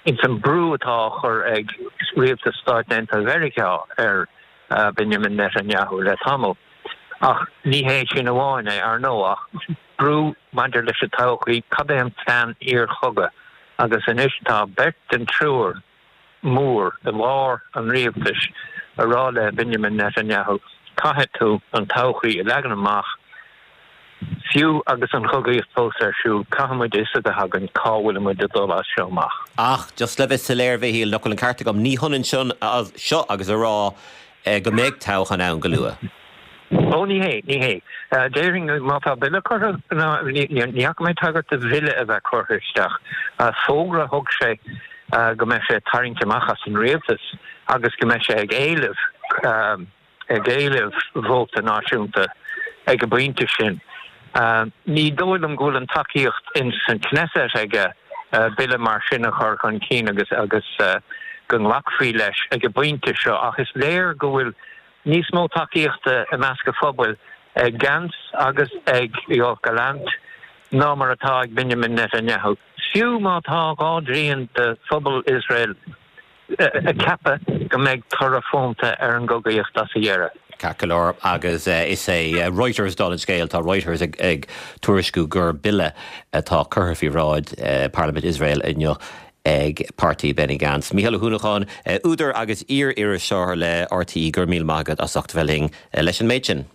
ins an brú atá á chur ag rialtas Stáit Aontaithe Mheiriceá ar Benjamin Netanyahu le tamall. Ach ní hé sin amháin é, ar ndóigh, ach brú maidir leis an todhchaí, cad é an plean iarchogaidh? Agus anois tá beirt den triúr mór i lár an rialtais ag rá le Benjamin Netanyahu, caithfidh tú an todhchaí a leagan amach, fiú agus an chogaíocht fós ar siúl, caithfidh muid a fhios a bheith againn cá bhfuil muid ag dul as seo amach. Ach just le bheith soiléir, a Mhichíl, nach bhfuil an ceart agam, ní hionann seo agus a rá go mbeidh toghchán ann go luath. Ó, ní hé, ní hé. Déarfainn má tá bille curtha, ná, ní fhaca mé tagairt do bhille a bheith curtha isteach. Fógra a thug sé go mbeidh sé ag tarraingt amach as an rialtas agus go mbeidh sé ag éileamh, ag éileamh vóta náisiúnta ag an bpointe sin. Ní dóigh liom go bhfuil an tacaíocht ins an Knesset aige bille mar sin a chur chun cinn agus agus go nglacfaí leis ag an bpointe seo ach is léir go bhfuil níos mó tacaíochta i measc an phobail ag Gantz agus ag Yoav Gallant ná mar atá ag Benjamin Netanyahu. Fiú má tá dhá dtrian de phobal Iosrael ag ceapadh go mbeidh toradh fónta ar an gcogaíocht as a dheireadh. Ceart go leor, agus is é Reuters dála an scéil, tá Reuters ag tuairisciú gur bille atá curtha faoi bhráid Parlaimint Iosrael inniu ag páirtí Benny Gantz. Mícheál Ó hUanacháin, údar agus iar-iriseoir le RTÉ, go raibh míle maith agat as ucht a bheith linn leis an méid sin.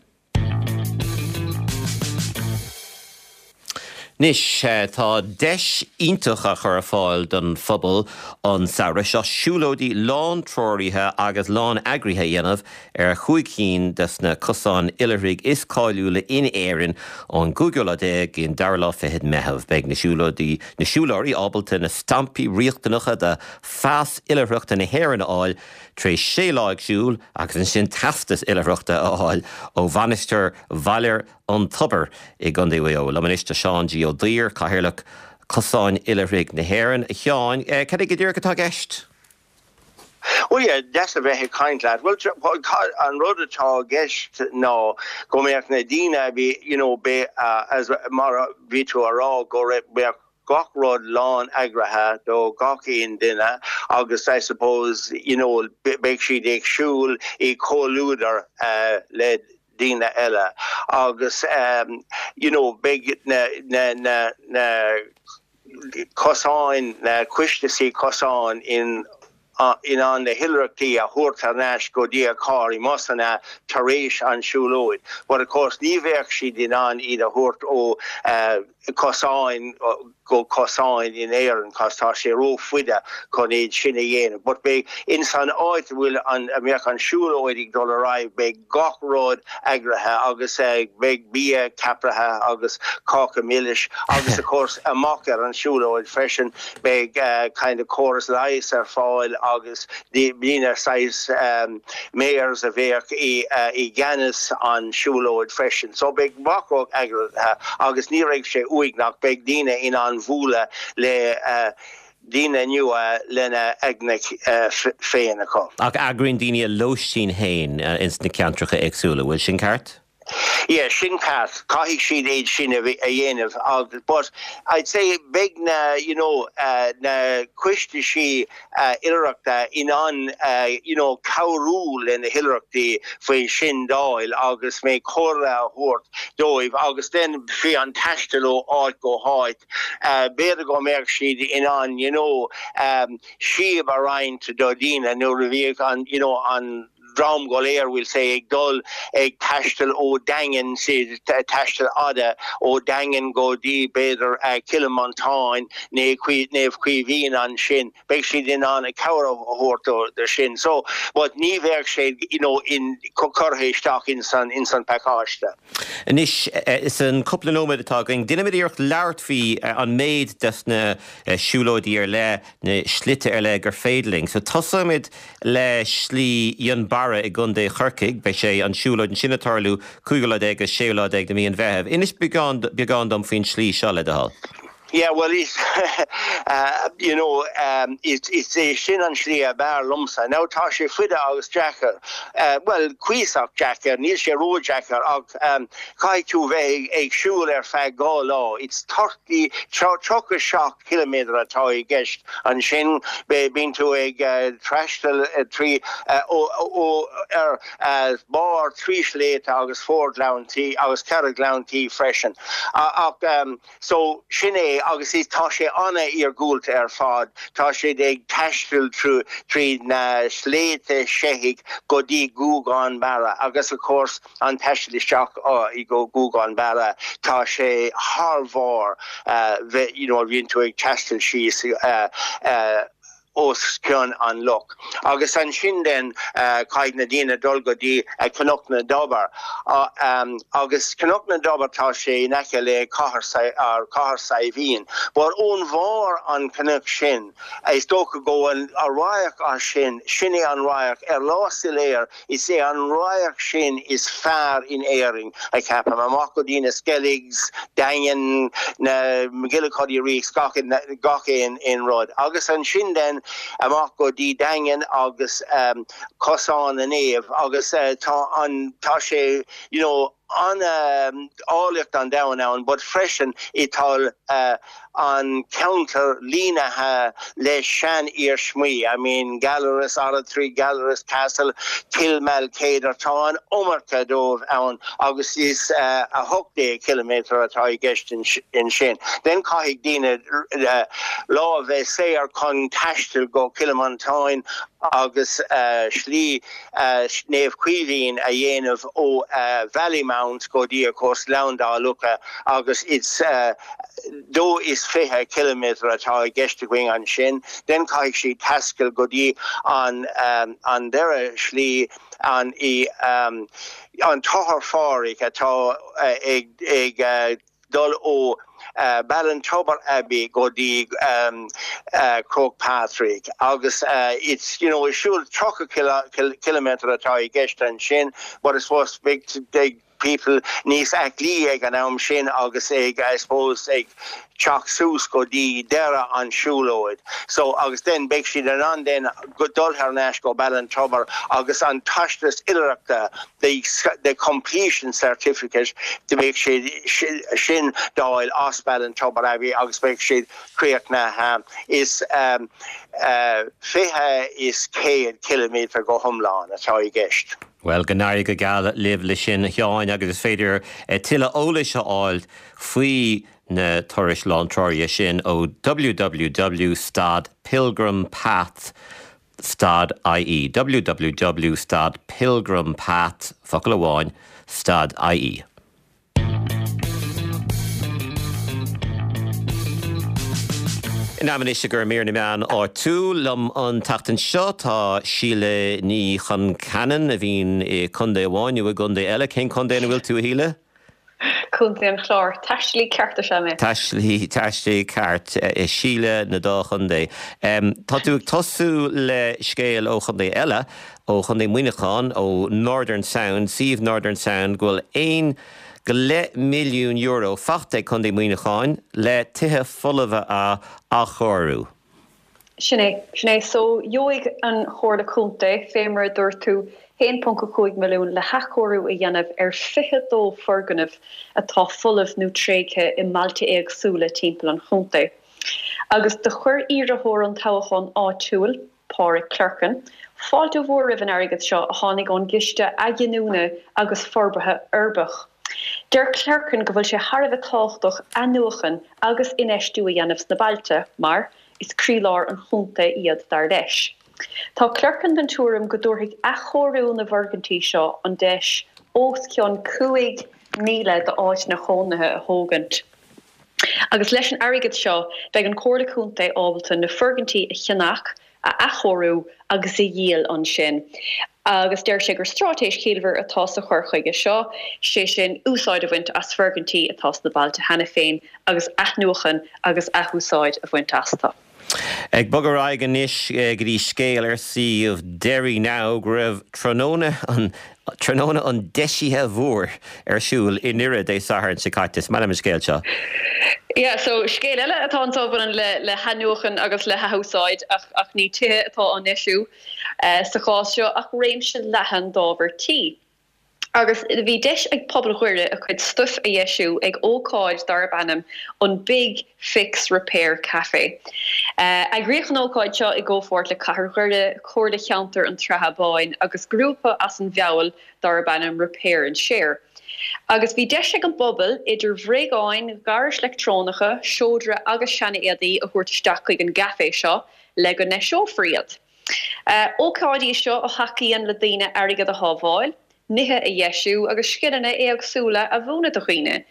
Anois, tá deis iontach á chur ar fáil don phobal an samhradh seo siúlóidí lán-treoraithe agus lán-eagraithe a dhéanamh ar chúig cinn de na cosáin oilithrigh is cáiliúla in Éirinn ón gcúigiú lá déag go dtí an dara lá fichead Meitheamh. Beidh na siúlóidí, na siúlóirí ábalta na stampaí riachtanacha do phas oilithreachta na hÉireann a fháil tar éis sé lá ag siúl agus ansin teastas oilithreachta a fháil ó Mhainistir Bhaile an Tobair i gContae Mhaigh Eo. Liom anois tá Seán G. Ó Duibhir, Cathaoirleach. Cosáin Oilithrigh na hÉireann. A Sheáin, cad é go díreach atá i gceist? Bhuel, yeah, deas a bheith ag caint leat. Bhuel, an rud atá i gceist ná go mbeadh na daoine a bhí, you know, be, as, mar a bhí tú a rá, go raibh, beadh gach rud lán eagraithe do gach aon duine agus I suppose, you know, beidh siad ag siúl i comhluadar le daoine eile agus, you know, beidh na, na, na, na, cosáin, na coistí cosáin in in ann na hoilithreachtaí a thabhairt thar n-ais go dtí a carr i mbusanna tar éis an siúlóid. But of course ní bheadh siad in ann iad a thabhairt ó cosáin go cosáin in Éirinn cos tá sé ró-fhaide chun iad sin a dhéanamh. But beidh in san áit a bhfuil an a mbeadh an siúlóid ag dul ar aghaidh beidh gach rud eagraithe agus beidh bia ceapaithe agus cáca milis agus of course amach ar an siúlóid freisin beidh kind of córas leighis ar fáil agus daoine saghas mayors a bheadh i gceannas an siúlóid freisin. So beidh gach rud eagraithe agus ní raibh sé uaigneach, beidh daoine in ann bualadh le daoine nua lena aigne féin acu. Ach eagraíonn daoine a lóistín féin ins na ceantracha éagsúla, bhfuil sin ceart? Yeah, sin ceart. Caithfidh siad iad sin a dhéanamh agus but I'd say beidh na you know na coistí oilithreachta in ann you know cabhrú le na hoilithreachtaí faoi sin d'fháil agus mé comhairle a thabhairt dóibh agus then faoi an taisteal ó áit go háit. B'fhéidir go mbeadh siad in ann you know síob a roinnt do dhaoine nuair a bhíodh an you know an dream go léir we'll say ag dul ag taisteal ó Daingean taisteal fhada ó Daingean go dtí b'fhéidir Cill Mhantáin nó Naomh Caoimhín ansin. beidh siad in ann cabhair a thabhairt do sin. So, but ní bheadh sé you know in curtha isteach ins an ins an pacáiste. Anois, san cúpla nóiméad atá againn, déanfaimid iarracht labhairt faoi an méid des na siúlóidí ar leith, na slite ar leith gur féidir linn. So tosóimid le Slí Fhionnbarra i gContae Chorcaigh. Beidh sé, an siúlóid ansin ag tarlú cúigiú lá déag agus séú lá déag de mhí an Mheithimh. Inis beagán, beagán dom faoin slí seo, le do thoil. Yeah well is you know is é sin an slí ab fhearr liomsa. Now tá sé faide agus deacair, bhuel cuíosach deacair, níl sé ró-deacair ach caithfidh tú bheith ag siúl ar feadh 2 lá. It's 30, 37 ciliméadar atá i gceist ansin. Bíonn tú ag taisteal trí ó ar barr trí sléibhte agus fór-ghleanntaí agus 4 gleanntaí freisin ach So, sin é, agus is, tá sé an-iargúlta ar fad. Tá siad ag taisteal tríd na sléibhte seithigh go dtí Guagán Barra agus of course an taisteal isteach go Guagán Barra, tá sé thar bharr, you know, bhíonn tú ag taisteal síos os cionn an loch. Agus ansin then caithfidh na daoine dul go dtí Cnoc na dTobar. Agus Cnoc na dTobar tá sé in aice le Cathair Cathair Saidhbhín. But ón bharr an cnoic sin is dócha go bhfuil an radharc as sin, sin é an radharc ar lá soiléir Is é an radharc sin is fearr in Éirinn, a cheapaim. Amach go dtí na Skelligs, Daingean, na MacGillycuddy Reeks, gach gach aon aon rud. Agus ansin then amach go dtí Daingean agus Cosán na Naomh agus tá an tá sé you know an áilleacht an domhain ann but freisin i tá an ceantar línithe le sean-iarsmaí, I mean Gallarus Oratory, Gallarus Castle, Kilmalkedar, tá an iomarca dóibh ann agus is 18 ciliméadar atá i gceist ansin. Then caithfidh daoine lá a bheith saor chun taisteal go Cill Mhantáin agus slí Naomh Caoimhín a dhéanamh ó Ballymount go dtí of course Gleann Dá Locha agus it's 22 ciliméadar atá i gceist againn ansin. Then caithfidh siad taisteal go dtí an an deireadh slí an i an Tochar Phádraig atá ag ag dul ó Ballintubber Abbey go dtí Croagh Patrick agus it's you know is siúl 30 ciliméadar atá i gceist ansin but I suppose beidh beidh. people níos aclaí ag an am sin agus ag, I suppose, ag teacht suas go dtí deireadh an siúlóid. So, agus then beidh siad in ann then dul thar n-ais go Ballintubber agus an teisteas oilithreachta, the, the completion certificate, beidh siad sin d'fháil as Ballintubber Abbey agus beidh siad críochnaithe. Is 120 ciliméadar go hiomlán atá i gceist. Bhuel, go n-éirí go geal libh le sin, a Sheáin, agus is féidir tuilleadh eolais a fháil faoi na turais lántreoraithe sin ó www stad pilgrimpath stad ie www stad pilgrimpath, focal amháin, stad ie. In am anois i gcomhair mír na meán áitiúil. Liom an tseachtain seo tá Síle Ní Chonceanainn a bhíonn i contae amháin nó i gcontae eile. Cén contae ina bhfuil tú, a Shíle? Contae an Chláir. Taistealaí ceart is ea mé. Taistealaí, taistealaí ceart. Síle na dá chontae. Tá tú ag tosú le scéal ó chontae eile. ó Chontae Mhuineacháin, ó Northern Sound, suíomh Northern Sound, go bhfuil €1 go leith milliún faighte ag Contae Mhuineacháin le tithe folmha a athchóiriú. Sin é, sin é. So, gheobhaidh an Chomhairle Contae, fé mar a dúirt tú, 1.5 milliún le hathchóiriú a dhéanamh ar 22 foirgneamh atá folamh nó tréigthe i mbailte éagsúla timpeall an chontae. Agus do chuir iarrthóir an toghacháin áitiúil, Pádraig Clerkin, fáilte mhór roimh an airgead seo a tháinig ón gCiste Athghiniúna agus Forbartha Uirbeach. Deir Clerkin go bhfuil sé thar a bheith tábhachtach athnuachan agus infheistiú a dhéanamh sna bailte mar is croílár an chontae iad dar leis. Tá Clerkin den tuairim go dtabharfaidh athchóiriú na bhfoirgintí seo an deis os cionn 5,000 d'áiteanna chónaithe a thógaint. Agus leis an airgead seo, beidh an Chomhairle Contae ábalta na foirgintí a cheannach, a athchóiriú agus a dhíol ansin. Agus deir sé gur straitéis chiallmhar atá sa chur chuige seo, sé sin, úsáid a bhaint as foirgintí atá sna bailte cheana féin agus athnuachan agus athúsáid a bhaint astu. Ag bogadh ar aghaidh anois go dtí scéal ar suíomh Derry Now go raibh tráthnóna an tráthnóna an deisithe mhóir ar siúl i nDoire Dé Sathairn seo caite. Is maith liom an scéal seo. Yeah, so scéal eile atá anseo a bhaineann le le hathnuachan agus le hathúsáid ach ach ní tithe atá á ndeisiú sa chás seo ach réimse leathan d'ábhar tí. Agus bhí deis ag pobal Dhoire a chuid stuif a dheisiú ag ócáid darb ainm an Big Fix Repair Café. Eagraíodh an ócáid seo i gcomhpháirt le Cathair Dhoire, Comhairle Cheantar an tSratha Báin agus grúpa as an Bhfeabhal darb ainm Repair and Share. Agus bhí deis ag an bpobal idir bhréagáin, ghairis leictreonacha, seodra agus sean-éadaí a thabhairt isteach chuig an gcaifé seo le go ndeiseofar iad. Ócáid í seo a thacaíonn le daoine airgead a shábháil, nithe a dheisiú agus scileanna éagsúla a mhúineadh do dhaoine.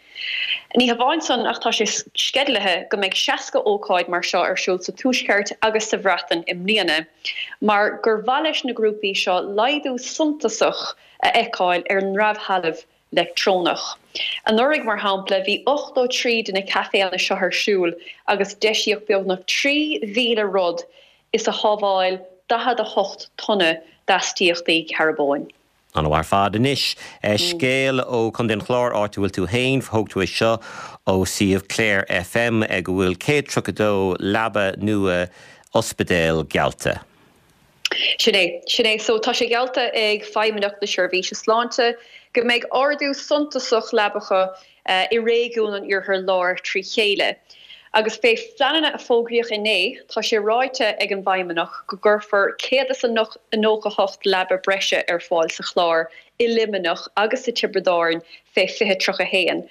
Ní hamháin san ach tá sé sceidealaithe go mbeidh 60 ócáid mar seo ar siúl sa Tuaisceart agus sa Bhreatain i mbliana mar gur mhaith leis na grúpaí seo laghdú suntasach a fheiceáil ar an ndramhthalamh leictreonach. Anuraidh, mar shampla, bhí 83 de na caiféanna seo ar siúl agus deisíodh beagnach 3,000 rud is a shábháil 48 tonna d'astaíochtaí carbóin. An-mhaith ar fad. Anois, scéal ó Chontae an Chláir, áit a bhfuil tú féin. Thóg tú é seo ó suíomh Clare FM, go bhfuil 132 leaba nua ospidéil geallta. Sin é, sin é. So, tá sé geallta ag Feidhmeannacht na Seirbhíse Sláinte go mbeidh ardú suntasach leabacha i réigiún an Iarthair Láir trí chéile. Agus fé phleananna a fógraíodh inné, tá sé ráite ag an bhFeidhmeannach go gcuirfear 198 leaba breise ar fáil sa Chlár, i Luimneach agus sa Tiobraid Árann fé 2031,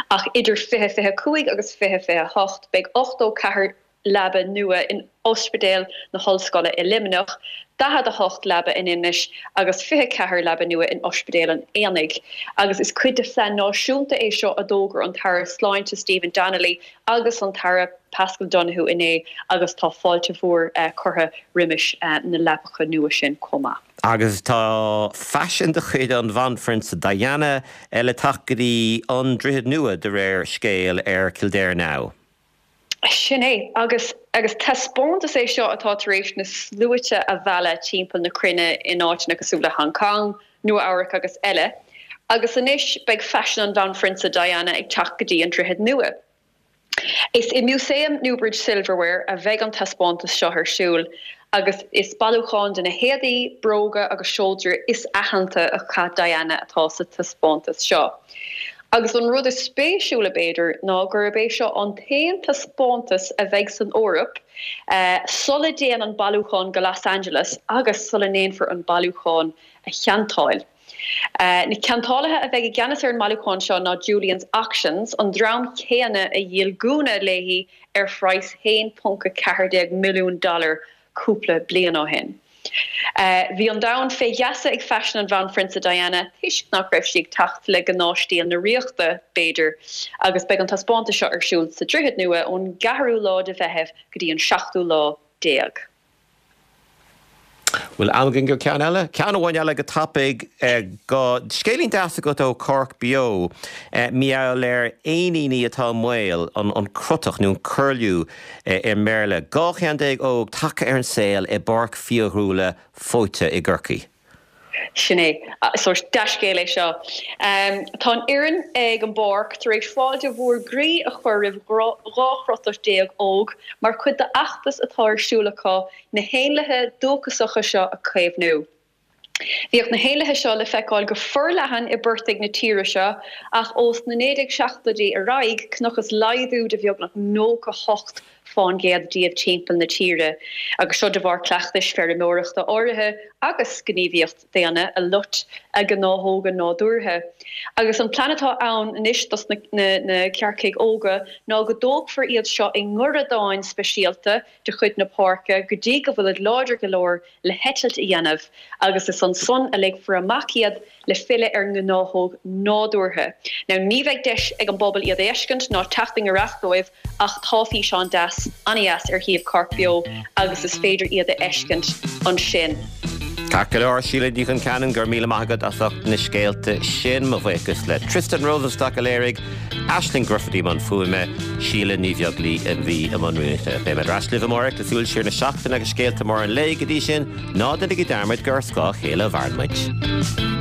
ach idir 2025 agus 2028 beidh 84 leaba nua in Ospidéal na hOllscoile i Luimneach, 48 leaba in Inis agus 24 leaba nua in Ospidéal an Aonaigh. Agus is cuid de phlean náisiúnta é seo a d'fhógair an tAire Sláinte Stephen Donnelly agus an tAire Paschal Donohoe inné agus tá fáilte mhór curtha roimis na leapacha nua sin chomh maith. Agus tá faisean de chuid an Bhanphrionsa Diana le teacht go dtí an Droichead Nua de réir scéil ar Kildare Now. Sin é. Agus agus taispeántas é seo atá tar éis na sluaite a mhealladh timpeall na cruinne in áiteanna cosúil le Hong Kong, Nua Eabhrac agus eile. Agus anois beidh faisean an Bhanphrionsa Diana ag teacht go dtí an Droichead Nua. Is i Músaem Newbridge Silverware a bheidh an taispeántas seo ar siúl agus is bailiúchán de na héadaí, bróga agus seodra is aitheanta a chaith Diana atá sa taispeántas seo. Agus an rud is spéisiúla, b'fhéidir, ná gurb é seo an t-aon taispeántas a bheidh san Eoraip sula dtéann an bailiúchán go Los Angeles agus sula ndéanfar an bailiúchán a cheantáil. Na ceantálaithe a bheidh i gceannas ar an mbailiúchán seo ná Julien's Auctions, an dream céanna a dhíol gúna léi ar phraghas 1.14 milliún dollar cúpla bliain ó shin. Bhí an domhan fé gheasa ag faisean an Bhanphrionsa Diana toisc nach raibh sí ag teacht le gnáthstíl na ríochta, b'fhéidir, agus beidh an taispeántas seo ar siúl sa Droichead Nua ón gceathrú lá de Mheitheamh go dtí an seachtú lá déag. Bhfuil am againn go ceann eile? Ceann amháin eile go tapaidh. Go scéilín deas agat ó Cork Beo. Mar gheall ar éiníní atá i mbaol, an crotach nó an curlew i mBéarla. 12 cheann óg tagtha ar an saol i bPáirc Fiadhúlra Fóite i gCorcaigh. Sin é. So, dea-scéal é seo. Tá an fhoireann ag an bpáirc tar éis fáilte mhór groí a chur roimh 12 chrotach óg mar chuid d'fheachtas atá ar siúl acu na héanlaithe dúchasacha seo a chaomhnú. Bhíodh na héanlaithe seo le feiceáil go forleathan i bportaigh na tíre seo ach ós na 1970idí ar aghaidh, chonacthas laghdú de bheagnach 98 fán gcéad díobh timpeall na tíre, agus seo de bharr cleachtais feirmeoireachta áirithe agus gníomhaíocht daonna a loit a ngnáthóga nádúrtha. Agus an plean atá ann anois dos na cearcaigh óga ná go dtógfar iad seo i ngoradáin speisialta de chuid na páirce go dtí go bhfuilid láidir go leor le heitilt a dhéanamh agus is ansan a ligfear amach iad le filleadh ar ngnáthóg nádúrtha. Now ní bheidh deis ag an bpobal iad a fheiscint ná teacht i ngiorracht dóibh ach tá físeán deas, an-dheas ar shuíomh Cork Beo agus is féidir iad a fheiscint ansin. Ceart go leor, Síle Ní Chonceanainn, go raibh míle maith agat as ucht na scéalta sin. Mo bhuíochas le Tristan Rosenstock a léirigh, Aisling Gruffydd i mbun fuaime, Síle Ní Bheaglaoí a bhí i mbun rúnaíochta. Beidh mé ar ais libh amárach le súil siar na seachtaine agus scéalta móra an lae. Go dtí sin, ná déanaigí dearmad gur ar scáth a chéile a mhaireann muid.